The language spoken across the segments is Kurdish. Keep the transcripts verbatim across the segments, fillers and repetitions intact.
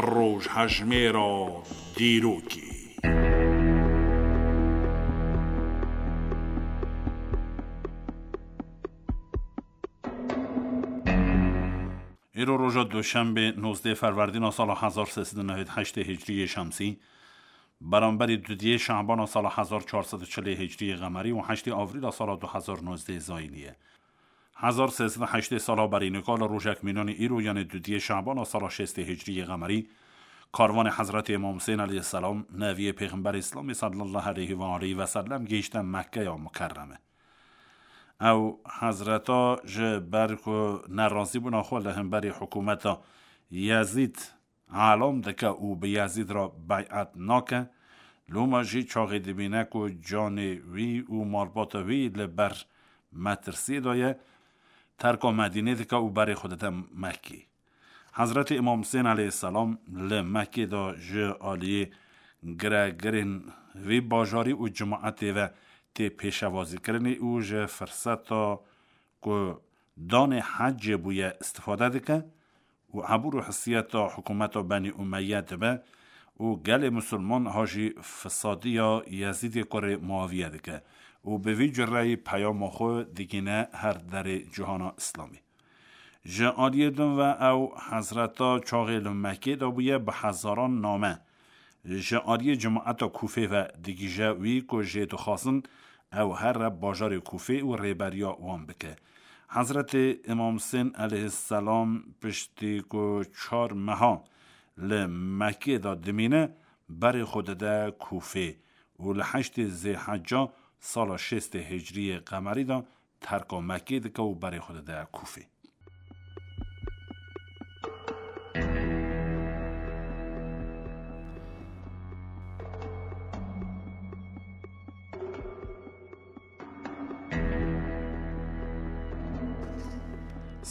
Rojhejmêra dîrokê. Îro roja Duşenbê, nozdeh Ferwerdîna sala hezar sê sed û newêd heştê Hicriyê Şemsî, beramberî dudiyê Şehbana sala hezar çar sed û çilê Hicriyê Qemerî û heştê Avrîla sala du hezar nozdeh Zayînî ye. Hezar sê sed û heştê sala berî nika li rojek mînanî îro, yanê dudiyê Şehbana sala şêstê Hicriyê Qemerî, karvanê Hezretê Îmam Husên aleyhisselam, neviyê Pêxemberê Îslamê sallallahu aleyhi ve aleyhi ve sellem, gihîşte Mekkeya Mukerreme. Ew Hezreta ji ber ku nerazîbûna xwe li hemberî hikûmeta Yezîd elam dike û bi Yezîd re bey'et nake, loma jî çaxê dibîne ku canê wî û malbata wî li ber metirsiyê de ye, terka Medînê dike û berê xwe dide Mekkê. Hezretê Îmam Husên aleyhisselam li Mekkê de ji aliyê giregirên vî bajarî û cimaetê ve tê pêşevazîkirinê û ji firseta ku danê hecê bûye istifade dike û ebûr û hissiyeta hikûmeta Benî Umeyye dibe û gelê misilman ha jî fisadiya Yezîdê kurê Muaviye dike û bi vî cureyî peyama xwe digîne her derê cihana Îslamê. Ji aliyê din ve ew Hezreta çaxê li Mekkê de bûye bi hezaran name ji aliyê cimaeta Kûfê ve digihîje wî ku jê dixwazin ew here bajarê Kûfê û rêberiya wan bike. Hezretê Îmam Husên aleyhisselam piştî ku çar meha li Mekkê de dimîne, berê xwe dide Kûfê û li heştê Zêhecca sala şêstê Hicriyê Qemerî de terka Mekkê dike û berê xwe dide Kûfê.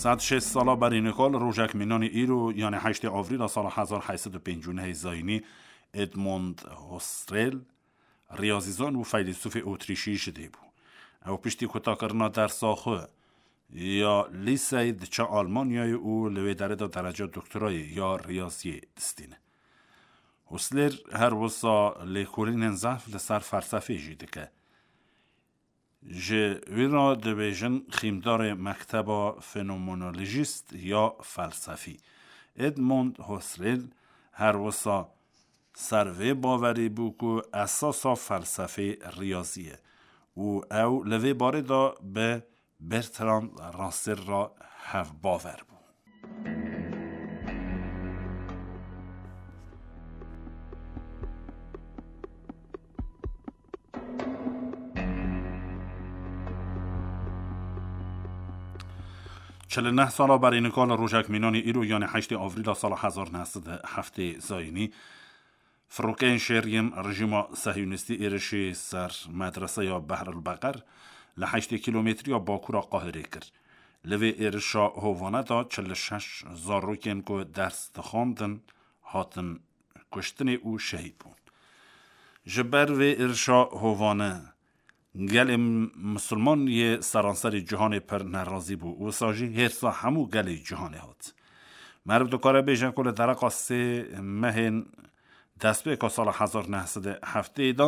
Sed şêst sala berî nika li rojek mînanî îro, yanê heştê Avrîla sala hezar heyt sed û pêncî û nehê Zayînî, Edmond Husserl, riyazîzan û feylesûfê Otrîşî ji dê bû. Ew piştî kutakirina dersa xwe ya lîseyê diçe Almanyayê û li wê derê de dereca doktorayê ya riyaziyê distîne. Husserl her wisa lêkolînên zehf li ser felsefê jî dike. Ji wî re dibêjin xîmdarê mekteba fenomenolojîst ya felsefî. Edmond Husserl her wisa ser vê bawerî bû ku esasa felsefê riyazî ye û ew li vê barê de bi Bertrand Russell re hevbawer bû. Çil û neh sala berî nika li rojek mînanî îro, yanê heştê Avrîla sala hezar neh sed û heftê Zayînî, firokeyên şer yên rejîma sehiyonîstî êrişî ser medreseya Behrul Beqer li heştê kîlometriya bakûra Qahirê kir. Li vê êrişa hovane de çil û şeş zarokên ku ders dixwandin hatin kuştinê û şehîd bûn. Ji ber vê êrişa hovane gelê misilman yê seranserî cîhanê pir nerazî bû. Wisa jî hêrsa hemû gelê cîhanê hat. Meriv dikare bêje ku li dereqa sê mehên destpêka sala hezar neh sed û heftê de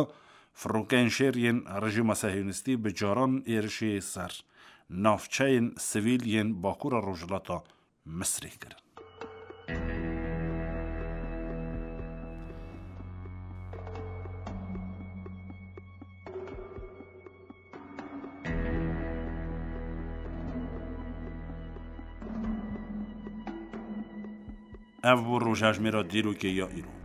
firokeyên şer yên rejîma sehiyonîstî bi caran êrişê ser navçeyên sivîl yên bakûra rojhilata Misrê kirin. Ev bû rojhejmêra dîrokê ya îro.